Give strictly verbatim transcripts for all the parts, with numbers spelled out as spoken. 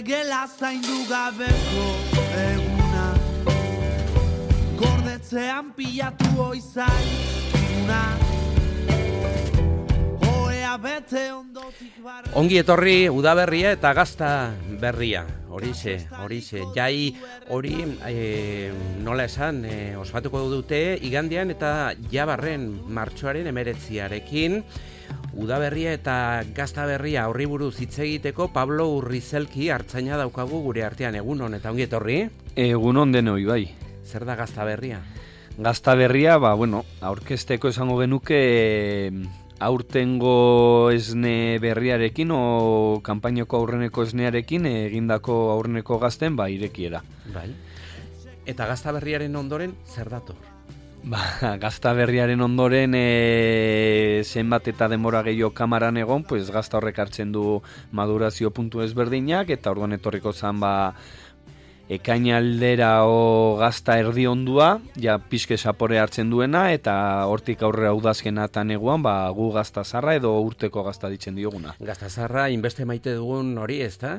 gela zaindu gabeko eguna, gordetzean pilatu oizaizkuna, oea bete ondotik barra. Ongi etorri udaberria eta gazta berria, horixe, horixe, jai hori e, nola esan e, ospatuko dute igandean eta jabarren martxoaren emeretziarekin. Udaberria eta gazta berria horri buruz hitz egiteko Pablo Urrizelki artzaina daukagu gure artean. Egunon eta ongi etorri. Egunon denoi bai. Zer da gazta berria? Gazta berria, ba, bueno, aurkezteko esango genuke aurtengo esne berriarekin o kanpainako aurreneko esnearekin egindako aurreneko gazten ba irekiera. Bai. Eta gazta berriaren ondoren zer dator? Ba, gazta berriaren ondoren e, zenbat eta denbora gehiago kamaran egon, pues gazta horrek hartzen du madurazio puntu ezberdinak eta orduan etorriko zan ba ekainaldera o gazta erdi ondua, ja pixke sapore hartzen duena eta hortik aurrera udazkenatan eguan ba gu gazta zarra edo urteko gazta ditzen dioguna. Gazta zarra inbeste maite dugun hori, ezta?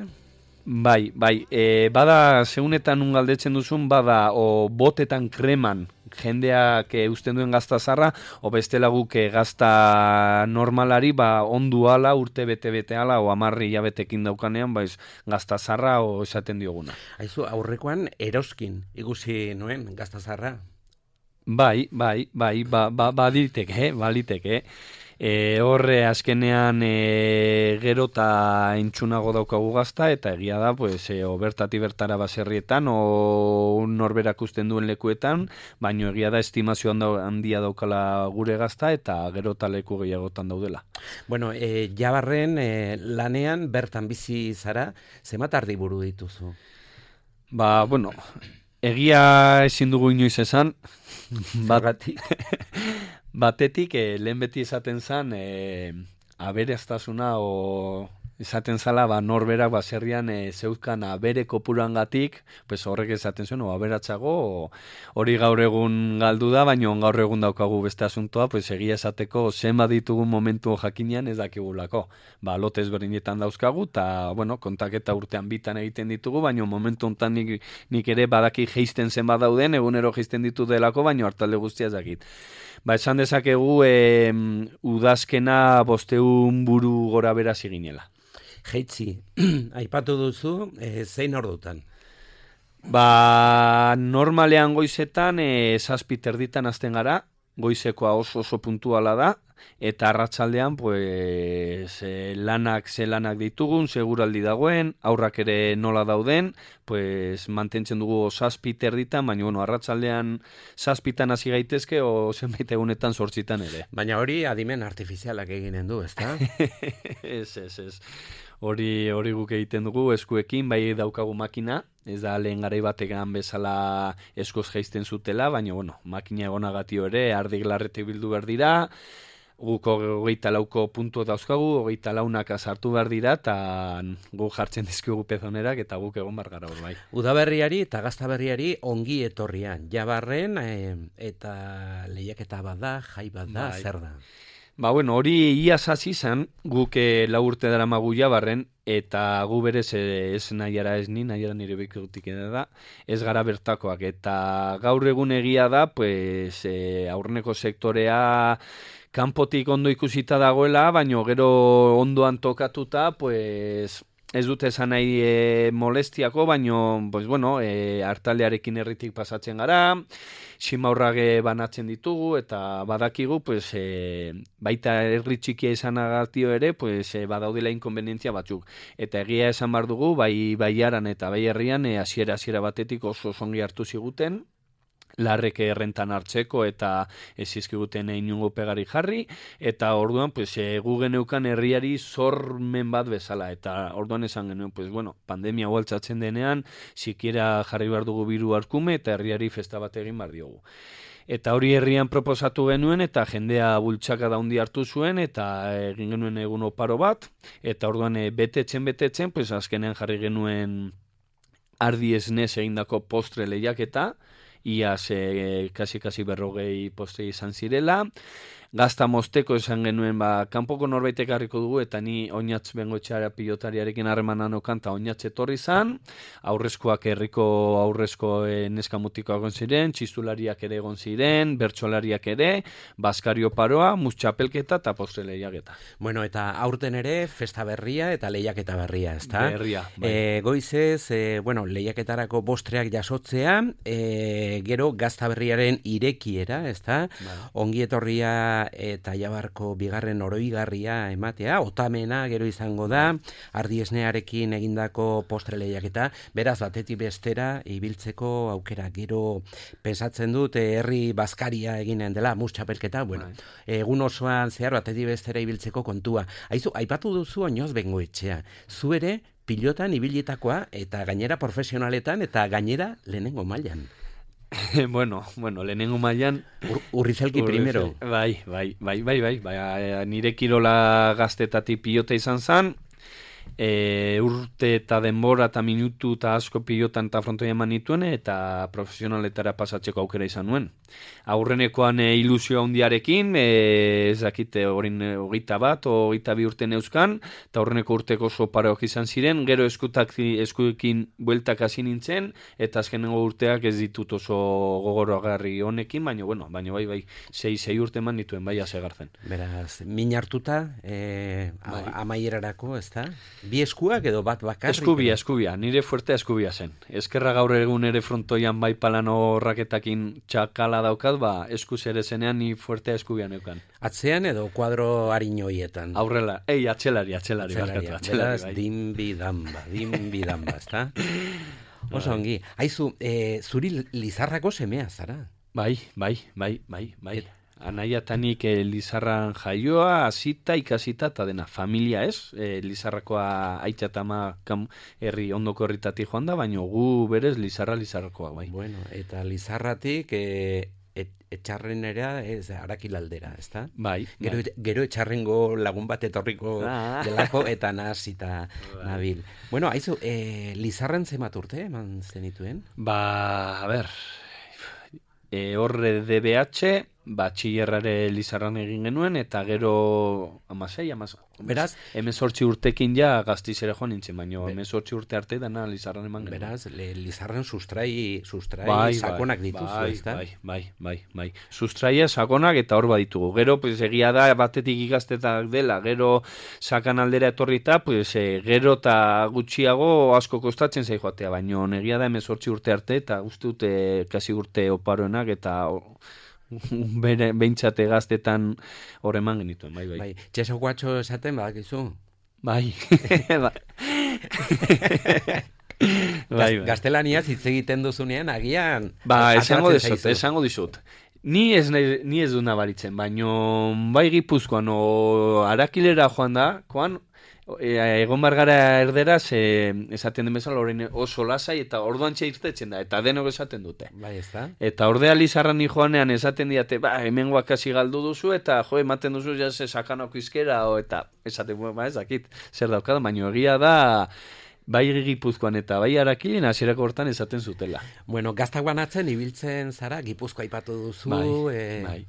Bai, bai, e, bada segunetan un galdetzen duzun, bada o botetan kreman jendeak e, usten duen gazta zarra, o bestela guk e, gazta normalari ba ondu ala, urte bete-bete ala, o amarri jabetekin daukanean, baiz gazta zarra o esaten dioguna. Aizu, aurrekoan eroskin ikusi nuen gazta zarra? Bai, bai, bai, ba, ba, baliteke, baliteke. E, horre azkenean e, gero eta entxunago daukagu gazta eta egia da pues, e, o bertati bertara baserrietan o norberak usten duen lekuetan, baino egia da estimazio handia daukala gure gazta eta gero eta leku gehiagotan daudela. Bueno, e, jabarren e, lanean bertan bizi zara, zenbat ardiburu dituzu? Ba, bueno, egia ezin dugu inoiz esan, Zergatik? Batetik, eh, lehen beti esaten zen, eh, aberastasuna o esaten zala, ba, norberak baserrian e, zeuzkan abere kopurangatik, pues horrek esaten zuen, o aberatsago, o, hori gaur egun galdu da, baina gaur egun daukagu beste asuntoa, pues egia esateko zenbat ditugun momentu jakinean ez dakigulako. Ba, lote ezberdinetan dauzkagu, eta, bueno, kontaketa urtean bitan egiten ditugu, baina momentu honetan nik, nik ere badaki geisten zenbat dauden, egunero geisten ditu delako, baina hartalde guztia ez dakit. Ba, esan dezakegu e, udazkena bosteun buru gora bera ziginela. Jeitzi, aipatu duzu, e, zein ordutan? Ba, normalean goizetan, e, zazpi terditan hasten gara, goizekoa oso oso puntuala da, eta arratsaldean pues, e, lanak ze lanak ditugun, seguraldi dagoen, aurrak ere nola dauden, pues, mantentzen dugu zazpi terditan, baina bueno, arratsaldean zazpitan hasi gaitezke, o zenbait egunetan zortzitan ere. Baina hori adimen artifizialak eginen du, ezta? Ez, ez, ez. Hori hori guk egiten dugu eskuekin, bai daukagu makina, ez da lehen garai bategan bezala eskoz jaisten zutela, baina bueno, makina egonagatio ere, ardik larretik bildu behar dira, guk hogeita lauko puntu dauzkagu, hogeita launak sartu behar dira, eta guk jartzen dizkigu pezonerak, eta guk egon bar gara hor bai. Udaberriari eta gaztaberriari ongi etorrian, jabarren e, eta lehiaketa bat da, jai bat da, bai. Zer da? Ba, bueno, hori iaz hasi izan, guk e, lau urte dara magu jabarren, eta gu berez e, ez nahiara ez ni, nahiara nire bekutik da, ez gara bertakoak, eta gaur egun egia da, pues, e, aurreneko sektorea kanpotik ondo ikusita dagoela, baino gero ondoan tokatuta, pues, ez dute esan nahi e, molestiako, baino, pues, bueno, e, hartaldearekin herritik pasatzen gara, simaurrage banatzen ditugu, eta badakigu, pues, e, baita herri txikia izanagatio ere, pues, e, badaudela inkonvenientzia batzuk. Eta egia esan bar dugu, bai baiaran eta bai herrian, e, hasiera hasiera batetik oso zongi hartu ziguten, larrek errentan hartzeko eta ez izkiguten inungo pegari jarri, eta orduan pues, e, gu geneukan herriari zormen bat bezala, eta orduan esan genuen, pues, bueno, pandemia hualtzatzen denean, sikiera jarri behar dugu biru arkume, eta herriari festa bat egin behar diogu. Eta hori herrian proposatu genuen, eta jendea bultxaka daundi hartu zuen, eta egin genuen egun oparo bat, eta orduan e, betetzen, betetzen, pues, azkenean jarri genuen ardi esnez egindako postre lehiaketa, iaz e, kasi-kasi berrogei postre izan zirela, gazta mosteko esan genuen, ba, kanpoko norbaitek harriko dugu, eta ni oinatz bengoetxeara pilotariarekin harremanan okan, eta oinatz etorri zan, aurrezkoak herriko aurrezko e, neskamutikoa egon ziren, txistulariak ere egon ziren, bertsolariak ere, Baskario paroa, mustxapelketa eta postre lehiaketa. Bueno, eta aurten ere, festa berria eta lehiaketa berria, ezta? Berria, bai. E, goizez, e, bueno, lehiaketarako bostreak jasotzea, e, gero gazta berriaren irekiera, ezta? Bai. Ongi etorria eta jabarko bigarren oroigarria ematea, otamena gero izango da, ardiesnearekin egindako postre lehiaketa, beraz batetik bestera ibiltzeko aukera, gero pensatzen dut e, herri Baskaria eginen dela, mustxapelketa, bueno, bai. Egun osoan zehar batetik bestera ibiltzeko kontua. Aizu, aipatu duzu oinoz bengoetxea, zu ere pilotan ibilitakoa eta gainera profesionaletan eta gainera lehenengo mailan. bueno, bueno, lehenengo mailan Ur, Urrizelki primero. Bai, bai, bai, bai, bai, bai, nire kirola gaztetatik pilota izan zan, e, urte eta denbora eta minutu eta asko pilotan eta frontoia eman nituen eta profesionaletara pasatzeko aukera izan nuen. Aurrenekoan e, ilusio handiarekin, e, ez dakite horin hogeita bat, hogeita bi urte neuzkan, eta aurreneko urteko oso pareok izan ziren, gero eskutak, eskuekin bueltak hasi nintzen, eta azkenengo urteak ez ditut oso gogoroagarri honekin, baina, bueno, baina bai, bai, sei, sei urte eman nituen, bai, asegartzen. Beraz, min hartuta, e, bai. Amaierarako, ez da? Bi eskuak edo bat bakarrik? Eskubia, eskubia, nire fuertea eskubia zen. Eskerra gaur egun ere frontoian bai palano raketakin txakala daukat, ba, eskuz ere zenean ni fuertea eskubia neukan. Atzean edo kuadro harinoietan? Aurrela, ei, atxelari, atxelari, atxelari, atxelari, beraz, bai. Dinbidamba, dinbidamba, ez da? Oso ongi. Aizu, e, zuri Lizarrako semea zara? Bai, bai, bai, bai, bai. Anaiatanik e, Lizarran jaioa, hasita, ikasita, eta dena familia ez. E, Lizarrakoa aitxatama herri ondoko herritatik joan da, baina gu berez Lizarra Lizarrakoa, bai. Bueno, eta Lizarratik e, et, etxarrenera ez Arakilaldera, ez da? Bai. Gero, bai. gero etxarrengo lagun bat etorriko ah. delako eta nazita bai. Nabil. Bueno, haizu, e, Lizarran zemat urte eman zenituen? Ba, a ber, e, horre D B H, batxillerrare Lizarran egin genuen, eta gero amasei, amasei. Beraz, hemezortzi urtekin ja gaztizera joan nintzen, baina hemezortzi urte arte dana Lizarran eman genuen. Beraz, le, Lizarran sustrai, sustrai bai, sakonak bai, dituzu, bai, ez da? Bai, bai, bai, bai. Sustraia sakonak eta hor baditugu. Gero, pues, egia da, batetik ikastetak dela, gero sakan aldera etorrita, pues, e, gero eta gutxiago asko kostatzen zai joatea, baina egia da hemezortzi urte arte, eta uste dute kasi urte oparoenak, eta bere behintzate gaztetan hor eman genituen, bai, bai. Bai, txeso guatxo esaten badakizu? Bai. bai. bai, bai. Gaztelaniaz hitz egiten duzunean, agian... Ba, esango dizut, esango dizut. Ni ez, ni ez du nabaritzen, baino bai Gipuzkoan o Arakilera joan da, koan, E, egon bargara erderaz e, esaten den bezala orain oso lasai eta orduan irtetzen da eta denok esaten dute. Bai, ez da? Eta ordea Lizarran joanean esaten diate, ba, hemen guakasi galdu duzu eta jo, ematen duzu jase sakanoko izkera o, eta esaten, ba, ez dakit zer daukada, baina egia da bai Gipuzkoan eta bai Arakilen hasierako hortan esaten zutela. Bueno, gaztak banatzen ibiltzen zara, Gipuzkoa aipatu duzu. Bai, e... bai.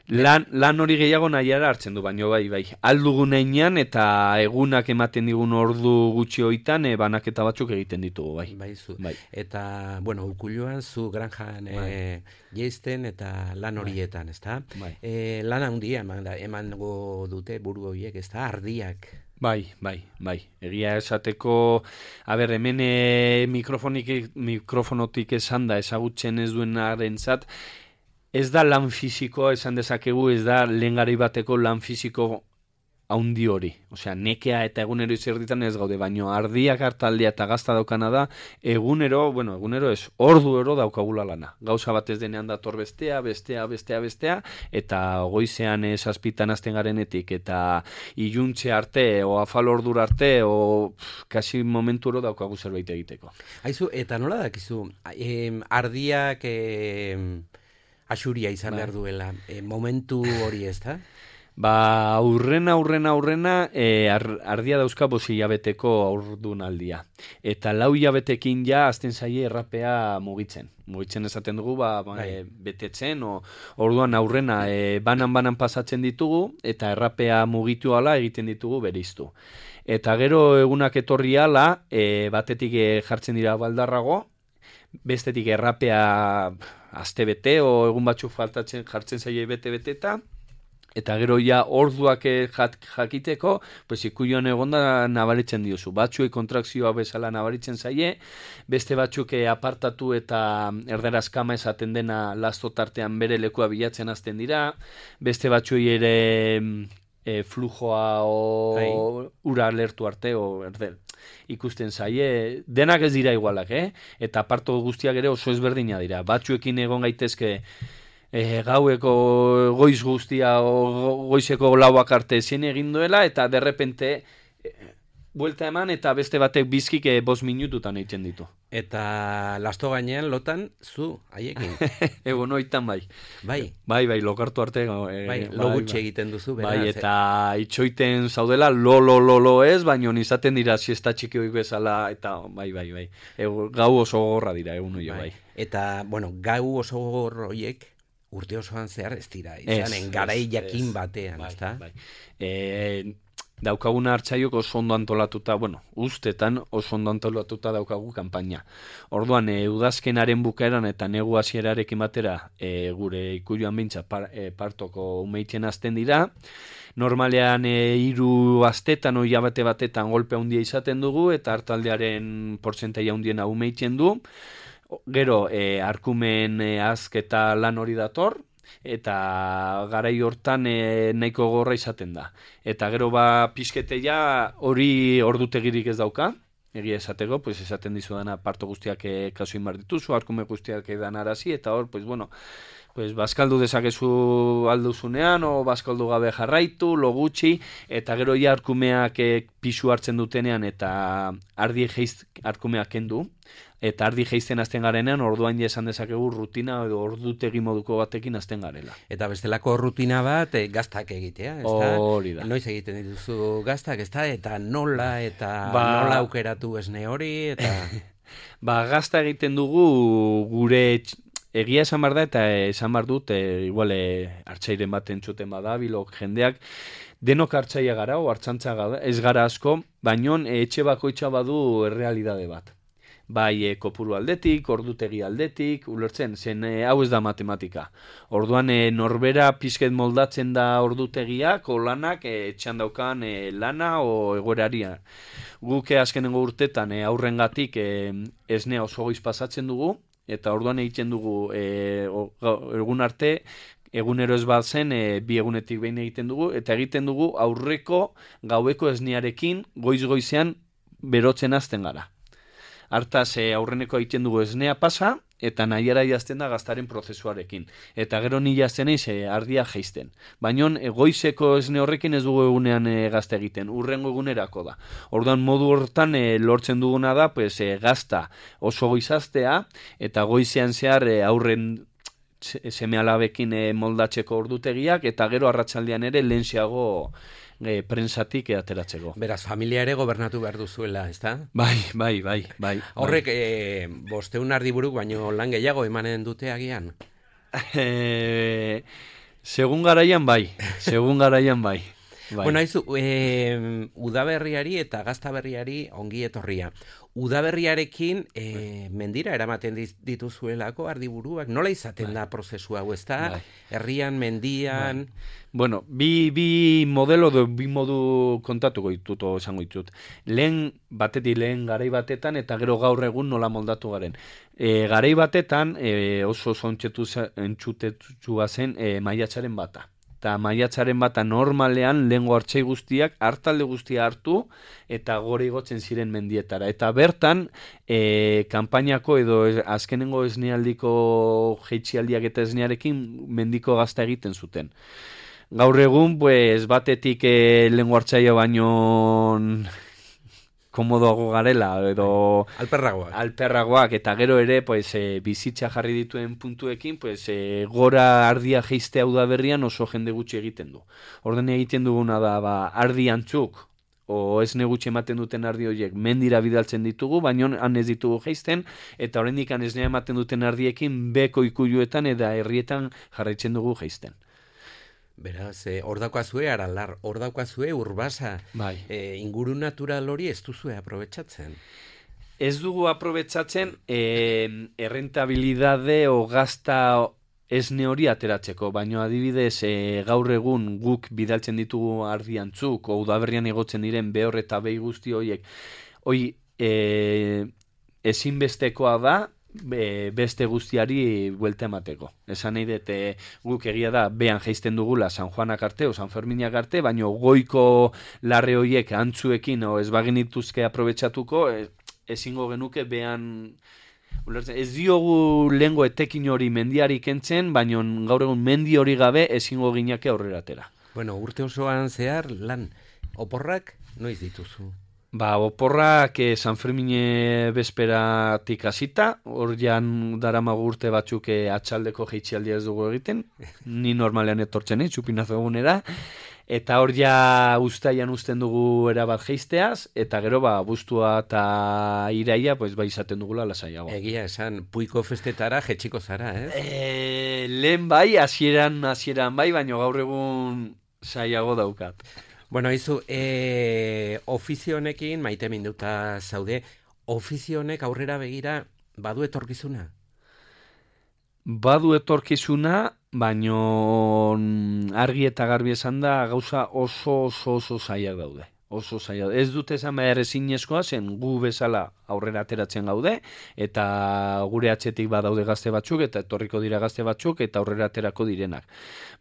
Lan, lan hori gehiago nahiara hartzen du, baino bai, bai. Aldugun einean eta egunak ematen digun ordu gutxi hoitan e, banaketa batzuk egiten ditugu, bai. Bai, zu. Bai. Eta, bueno, Ukulluan zu granjan bai. e, jeisten eta lan horietan, bai. Ez da? Bai. E, lan handia eman, emango dute buru horiek, ez da? Ardiak. Bai, bai, bai. Egia esateko, a ber, hemen e, mikrofonik, mikrofonotik esan da, ezagutzen ez duen arentzat, ez da lan fisikoa esan dezakegu, ez da lehen garai bateko lan fisiko haundi hori. Osea, nekea eta egunero izerditan ez gaude, baino ardiak hartaldea eta gazta daukana da, egunero, bueno, egunero ez, ordu ero daukagula lana. Gauza bat ez denean dator bestea, bestea, bestea, bestea, eta goizean zazpitan azten garenetik, eta iluntze arte, o afal ordur arte, o pff, kasi momentu ero daukagu zerbait egiteko. Aizu, eta nola dakizu, em, ardiak... Em... Axuria izan bai. behar duela, e, momentu hori ez da? Ba, aurrena, aurrena, aurrena, e, ar, ardia dauzka bosi hilabeteko aurdunaldia. Eta lau hilabetekin ja azten zaie errapea mugitzen. Mugitzen esaten dugu, ba, ba e, betetzen, o, orduan aurrena e, banan-banan pasatzen ditugu, eta errapea mugitu ala egiten ditugu bereiztu. Eta gero egunak etorri ala, e, batetik e, jartzen dira baldarrago, bestetik errapea astebete o egun batzuk faltatzen jartzen zaie bete-bete eta eta gero ja orduak jak, jakiteko, pues ikuion egonda nabaritzen diozu. Batzuek kontrakzioa bezala nabaritzen zaie, beste batzuk apartatu eta erderaz kama esaten dena lasto tartean bere lekua bilatzen hasten dira, beste batzuei ere e, flujoa o Hai. ura lertu arte o erder ikusten zaie, denak ez dira igualak, eh? Eta aparto guztiak ere oso ezberdina dira. Batzuekin egon gaitezke e, gaueko goiz guztia o goizeko lauak arte ezin egin duela, eta derrepente e, buelta eman eta beste batek bizkik e, bost minututan egiten ditu. Eta lasto gainean lotan zu haiekin. Ego noitan bai. Bai. Bai, bai, lokartu arte. E, bai, lo gutxi bai, egiten duzu. Beraz, bai, eta itxoiten zaudela lo, lo, lo, lo ez, baino izaten dira siesta txiki hoik bezala, eta bai, bai, bai. Ego, gau oso gorra dira, egun bai. bai. Eta, bueno, gau oso gorroiek urte osoan zehar ez dira. Izanen garai jakin batean, bai, ezta? Bai. E, daukaguna hartzaiok oso ondo antolatuta, bueno, ustetan oso ondo antolatuta daukagu kanpaina. Orduan, e, udazkenaren bukaeran eta negu hasierarekin batera e, gure ikuioan bintza par, e, partoko umeitzen azten dira. Normalean e, hiru astetan o hilabete batetan golpe handia izaten dugu eta hartaldearen portzentaia handiena umeitzen du. Gero, e, arkumen e, azk eta lan hori dator, eta garai hortan e, nahiko gorra izaten da. Eta gero ba pizketeia hori ordutegirik ez dauka, egia esateko, pues esaten dizudana parto guztiak e, kasu inbar dituzu, arkume guztiak edan arazi, eta hor, pues bueno, pues bazkaldu dezakezu alduzunean, o bazkaldu gabe jarraitu, lo gutxi, eta gero ja arkumeak e, pisu hartzen dutenean, eta ardi jeiz arkumeak kendu, eta ardi jeizten azten garenean, orduan ja esan dezakegu rutina edo ordutegi moduko batekin azten garela. Eta bestelako rutina bat e, gaztak egitea, ezta? Hori da. Noiz egiten dituzu gaztak, ezta? Eta nola, eta ba... nola aukeratu esne hori, eta... ba, gazta egiten dugu gure egia esan bar da, eta esan bar dut, e, igual e, hartzairen bat entzuten badabilok jendeak, denok hartzaia gara, o hartzantza gara, ez gara asko, baino e, etxe bakoitza badu errealidade bat. Bai e, kopuru aldetik, ordutegi aldetik, ulertzen, zen e, hau ez da matematika. Orduan e, norbera pizket moldatzen da ordutegiak, o lanak e, etxan daukan e, lana o egoeraria. Guk e, azkenengo urtetan e, aurrengatik e, esnea oso goiz pasatzen dugu, eta orduan egiten dugu e, o, egun arte, egunero ez bat zen, e, bi egunetik behin egiten dugu, eta egiten dugu aurreko gaueko esnearekin goiz-goizean berotzen hasten gara. Hartaz e, aurreneko egiten dugu esnea pasa, eta nahiara jazten da gaztaren prozesuarekin. Eta gero ni jazten eiz e, ardia jeizten. Baina e, goizeko esne horrekin ez dugu egunean e, gazta egiten, urrengo egunerako da. Orduan modu hortan e, lortzen duguna da pues, e, gazta oso goizaztea, eta goizean zehar e, aurren seme alabekin e, moldatzeko ordutegiak, eta gero arratsaldean ere lehenxeago E, prensatik ateratzeko. Beraz, familia ere gobernatu behar duzuela, ezta? Bai, bai, bai, bai. Horrek, e, bosteun ardiburuk, baino lan gehiago emanen dute agian? E, segun garaian bai, segun garaian bai. Bai. Bueno, haizu, e, udaberriari eta gaztaberriari ongi etorria. Udaberriarekin e, mendira eramaten dituzuelako ardiburuak. Nola izaten bai. da prozesu hau, ez da? Bai. Herrian, mendian... Bai. Bueno, bi, bi modelo do, bi modu kontatuko ditut, esango ditut. Lehen batetik lehen garai batetan eta gero gaur egun nola moldatu garen. E, garai batetan e, oso zontxetua zen e, maiatzaren bata. Eta maiatzaren bata normalean lehengo hartzai guztiak hartalde guztia hartu eta gore igotzen ziren mendietara. Eta bertan, e, kanpainako edo azkenengo esnealdiko jeitxialdiak eta esnearekin mendiko gazta egiten zuten. Gaur egun, pues, batetik e, lehengo hartzaia baino komodoago garela, edo alperragoak. alperragoak, eta gero ere, pues, e, bizitza jarri dituen puntuekin, pues, e, gora ardia jeiztea udaberrian oso jende gutxi egiten du. Orden egiten duguna da, ba, ardi antzuk, o ez negutxe ematen duten ardi horiek mendira bidaltzen ditugu, baina han ez ditugu jeizten, eta oraindik han esnea ematen duten ardiekin beko ikuluetan eta herrietan jarraitzen dugu jeizten. Beraz, eh, hor daukazue Aralar, hor daukazue Urbasa, bai. eh, inguru natural hori ez duzue aprobetxatzen. Ez dugu aprobetxatzen eh, errentabilidade o gazta esne hori ateratzeko, baina adibidez eh, gaur egun guk bidaltzen ditugu ardiantzuk, o udaberrian egotzen diren behor eta behi guzti horiek, hoi eh, ezinbestekoa da, Be, beste guztiari buelta emateko. Esan nahi dut, e, guk egia da behan jeizten dugula San Juanak arte o San Ferminak arte, baina goiko larre horiek antzuekin o ez bagenituzke aprobetxatuko, e, ezingo genuke behan ulertzen. Ez diogu lehengo etekin hori mendiari kentzen, baina gaur egun mendi hori gabe ezingo ginake aurrera atera. Bueno, urte osoan zehar lan oporrak noiz dituzu? Ba, oporrak eh, San Fermine bezperatik hasita, hor jan daramagu urte batzuk eh, atxaldeko jeitxialdia ez dugu egiten, ni normalean etortzen egin, txupinazo egunera, eta hor ja ustaian usten dugu erabat jeizteaz, eta gero ba, buztua eta iraia, pues, ba, izaten dugula lasaiago. Egia esan, puiko festetara jetxiko zara, ez? E, lehen bai, hasieran hasieran bai, baina gaur egun saiago daukat. Bueno, izu, e, ofizio honekin, maite minduta zaude, ofizio honek aurrera begira badu etorkizuna? Badu etorkizuna, baino argi eta garbi esan da gauza oso oso oso zailak daude. Oso zaila. Ez dute esan behar ezinezkoa zen gu bezala aurrera ateratzen gaude, eta gure atzetik badaude gazte batzuk, eta etorriko dira gazte batzuk, eta aurrera aterako direnak.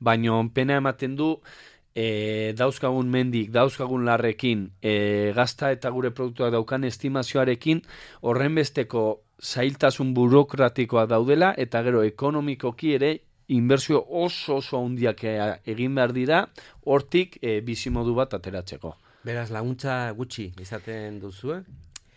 Baino pena ematen du, E, dauzkagun mendik, dauzkagun larrekin, e, gazta eta gure produktuak daukan estimazioarekin, horren besteko zailtasun burokratikoa daudela, eta gero ekonomikoki ere inbertsio oso oso handiak egin behar dira, hortik e, bizimodu bat ateratzeko. Beraz, laguntza gutxi izaten duzue?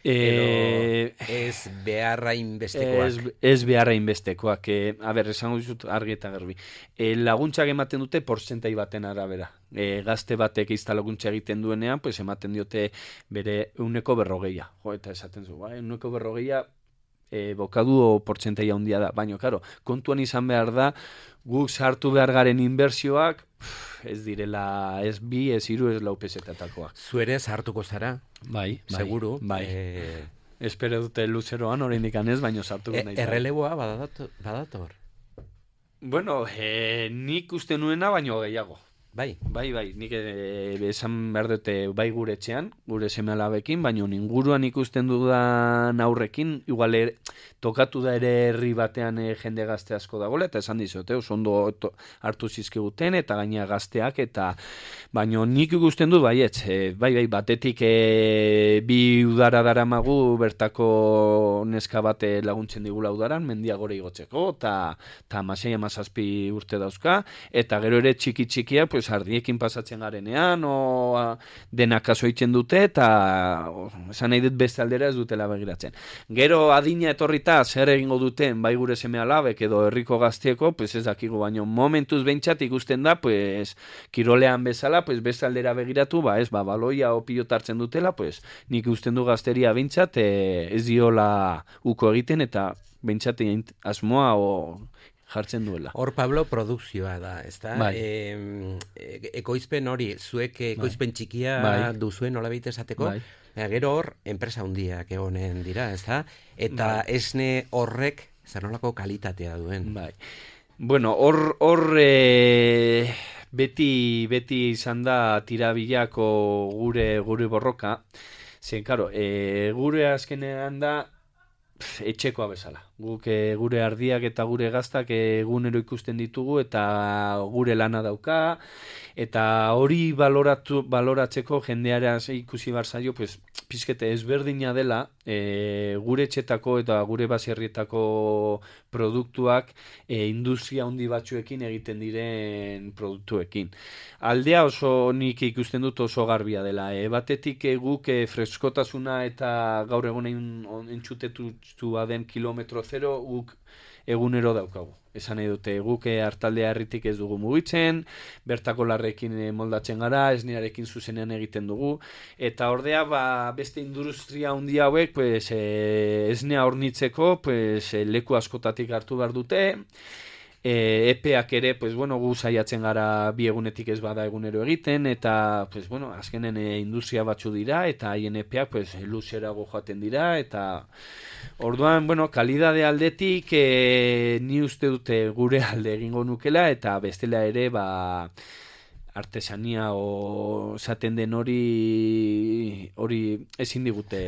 E, Edo ez beharra inbestekoak? Ez, ez beharra inbestekoak. E, a ber, esango dizut argi eta garbi. E, laguntzak ematen dute porzentai baten arabera. E, gazte batek izta laguntza egiten duenean, pues ematen diote bere euneko berrogeia. Jo, eta esaten zu, ba, euneko berrogeia e, bokadu o porzentai handia da. Baina, karo, kontuan izan behar da, guk sartu behar garen inbertsioak, ez direla, ez bi, ez hiru, ez lau pesetatakoak. Zuere sartuko zara? Bai, bai. Seguru. Bai. E... Espero dute luzeroan, oraindik ez, baino sartuko e, nahi. Erreleboa badator? badator. Bueno, e, nik uste nuena, baino gehiago. Bai. Bai, bai, nik e, esan behar dute bai gure etxean, gure seme alabekin, baino inguruan ikusten dudan aurrekin, igual er, tokatu da ere herri batean e, jende gazte asko dagoela, eta esan dizote, oso ondo to, hartu zizkiguten, eta gaina gazteak, eta baino nik ikusten du, bai, etz, e, bai, bai, batetik e, bi udara daramagu bertako neska bate laguntzen digula udaran, mendia gore igotzeko, eta masei amazazpi urte dauzka, eta gero ere txiki txikia, pues ardiekin pasatzen garenean, o a, denak kaso egiten dute, eta o, esan nahi dut beste aldera ez dutela begiratzen. Gero adina etorrita zer egingo duten bai gure seme alabek edo herriko gaztieko, pues ez dakigu, baino momentuz behintzat ikusten da, pues kirolean bezala, pues beste aldera begiratu, ba ez, ba baloia o pilota hartzen dutela, pues nik ikusten du gazteria behintzat, e, ez diola uko egiten, eta behintzat asmoa o jartzen duela. Hor, Pablo, produkzioa da, ezta? Bai. E, ekoizpen hori, zuek ekoizpen bai. Txikia bai. Duzuen nola behit esateko, bai. Gero hor, enpresa hundiak egonen dira, ezta? Eta bai. Esne horrek, zer nolako kalitatea duen. Bai. Bueno, hor, hor e, beti, beti izan da tirabilako gure, gure borroka, zen, karo, e, gure azkenean da, etxekoa bezala. Guk e, gure ardiak eta gure gaztak egunero ikusten ditugu eta gure lana dauka, Eta hori baloratu, baloratzeko jendeara ikusi barzaio, pues, pizkete ezberdina dela, e, gure etxetako eta gure baserrietako produktuak e, industria handi batzuekin egiten diren produktuekin. Aldea oso nik ikusten dut oso garbia dela. E, batetik e, guk e, freskotasuna eta gaur egunein entzutetu baden kilometro zero guk egunero daukagu. Esan nahi dute, guk hartaldea herritik ez dugu mugitzen, bertako larrekin moldatzen gara, esnearekin zuzenean egiten dugu, eta ordea ba, beste industria handi hauek pues, e, esnea hornitzeko pues, e, leku askotatik hartu behar dute, E, epeak ere, pues, bueno, gu saiatzen gara bi egunetik ez bada egunero egiten, eta pues, bueno, azkenen e, industria batzu dira, eta haien epeak pues, luzerago joaten dira, eta orduan, bueno, kalidade aldetik e, ni uste dute gure alde egingo nukela, eta bestela ere, ba, artesania o esaten den hori hori ezin digute.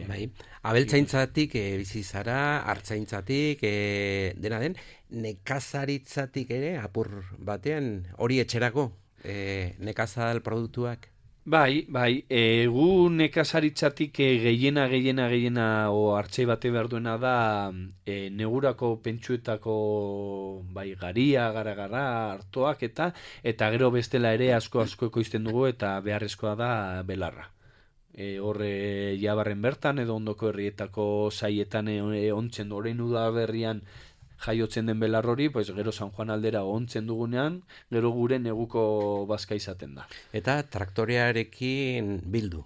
Bai. Abeltzaintzatik e, bizi zara, artzaintzatik, e, dena den, nekazaritzatik ere, apur batean, hori etxerako, e, nekazal produktuak? Bai, bai, e, gu nekazaritzatik e, gehiena, gehiena, gehiena, o hartzei bate behar duena da, e, negurako pentsuetako, bai, garia, gara-gara, hartoak, eta, eta gero bestela ere asko asko ekoizten dugu, eta beharrezkoa da belarra. E, horre jabarren bertan, edo ondoko herrietako saietan e, ontzen orain udaberrian jaiotzen den belar hori, pues, gero San Juan aldera ontzen dugunean, gero gure neguko bazka izaten da. Eta traktorearekin bildu.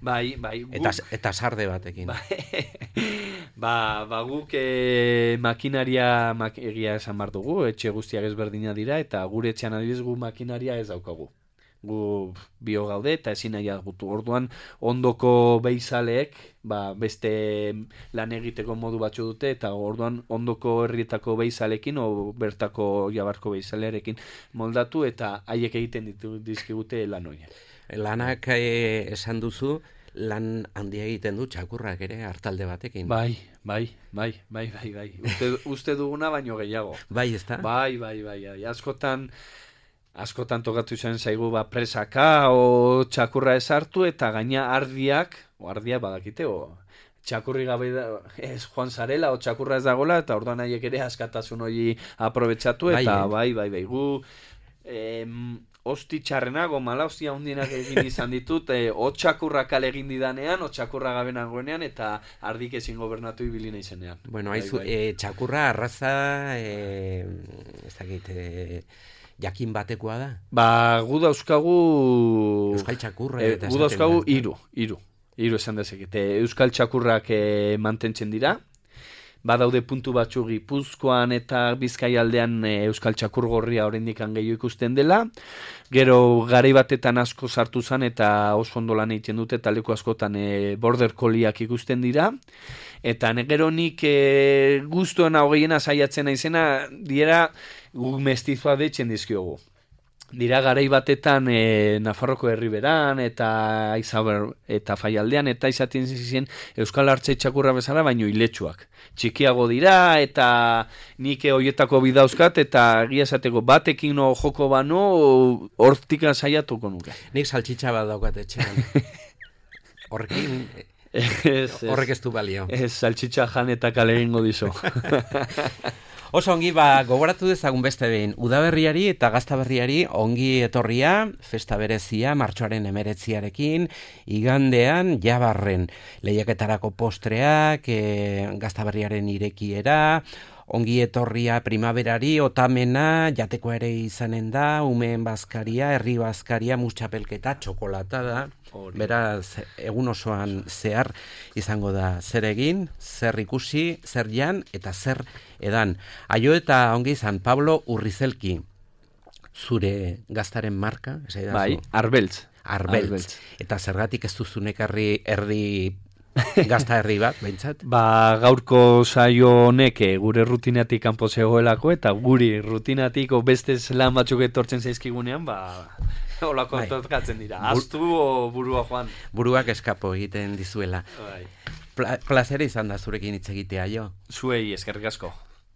Bai, bai. Guk, eta, eta sarde batekin. Bai, ba, ba guk e, makinaria mak, egia esan bar dugu, etxe guztiak ezberdina dira, eta gure etxean adibidez gu makinaria ez daukagu. Gu bio gaude eta ezin nahi gutu. Orduan ondoko beizaleek ba, beste lan egiteko modu batzu dute, eta orduan ondoko herrietako beizalekin o bertako jabarko beizalearekin moldatu, eta haiek egiten ditu dizkigute lan horiek. Lanak e, esan duzu, lan handia egiten du txakurrak ere hartalde batekin. Bai, bai, bai, bai, bai, bai. Uste, uste duguna baino gehiago. Bai, ezta? Bai, bai, bai, bai. Askotan askotan tokatu izan zaigu ba presaka o txakurra esartu, eta gaina ardiak, o ardiak badakite, o txakurri gabe da, ez joan zarela, o txakurra ez dagola, eta orduan haiek ere askatasun hori aprobetxatu, eta bai, bai, bai, gu em, osti txarrenak, o mala ostia hundienak egin izan ditut, e, o txakurra kale egin didanean, o txakurra gabe nagoenean, eta ardik ezin gobernatu ibili naizenean. Bueno, haizu, bai, bai. E, txakurra arraza, e, ez dakit, e, jakin batekoa da? Ba, gu dauzkagu Euskal txakurra e, gu dauzkagu hiru, hiru. Hiru esan dezakete. Euskal txakurrak e, mantentzen dira. Badaude puntu batzu Gipuzkoan eta Bizkaialdean e, Euskal txakur gorria oraindik gehiago ikusten dela. Gero garai batetan asko sartu zan eta oso ondo lan egiten dute, eta leku askotan e, border colliak ikusten dira. Eta gero nik e, guztuena hogeiena saiatzen naizena diera gu mestizoa deitzen dizkiogu. Dira garai batetan e, Nafarroko herriberan eta Aizaber eta Faialdean eta izaten zizien Euskal Artzai txakurra bezala, baino iletsuak. Txikiago dira eta nik hoietako bidauzkat, eta egia esateko batekin no joko bano hortika saiatuko nuke. Nik saltxitxa bat daukat etxean. Horrekin horrek ez du balio. Ez, saltxitxa jan eta kale egingo dizo. Oso ongi, ba, gogoratu dezagun beste behin, udaberriari eta gaztaberriari ongi etorria, festa berezia, martxoaren emeretziarekin, igandean, jabarren, lehiaketarako postreak, e, gaztaberriaren irekiera, ongi etorria primaverari, otamena, jateko ere izanen da, umeen bazkaria, herri bazkaria, mustxapelketa, txokolata da. Beraz, egun osoan zehar izango da zer egin, zer ikusi, zer jan eta zer edan. Aio eta ongi izan, Pablo Urrizelki, zure gaztaren marka? Bai, Arbeltz. Arbeltz. Eta zergatik ez duzunek herri erdi gazta herri bat, behintzat? Ba, gaurko saio honek gure rutinatik kanpo zegoelako, eta guri rutinatik beste lan batzuk etortzen zaizkigunean, ba, holako bai. Tokatzen dira. Aztu o burua joan? Buruak eskapo egiten dizuela. Bai. Pla- plazera izan da zurekin hitz egitea, jo? Zuei, eskerrik asko.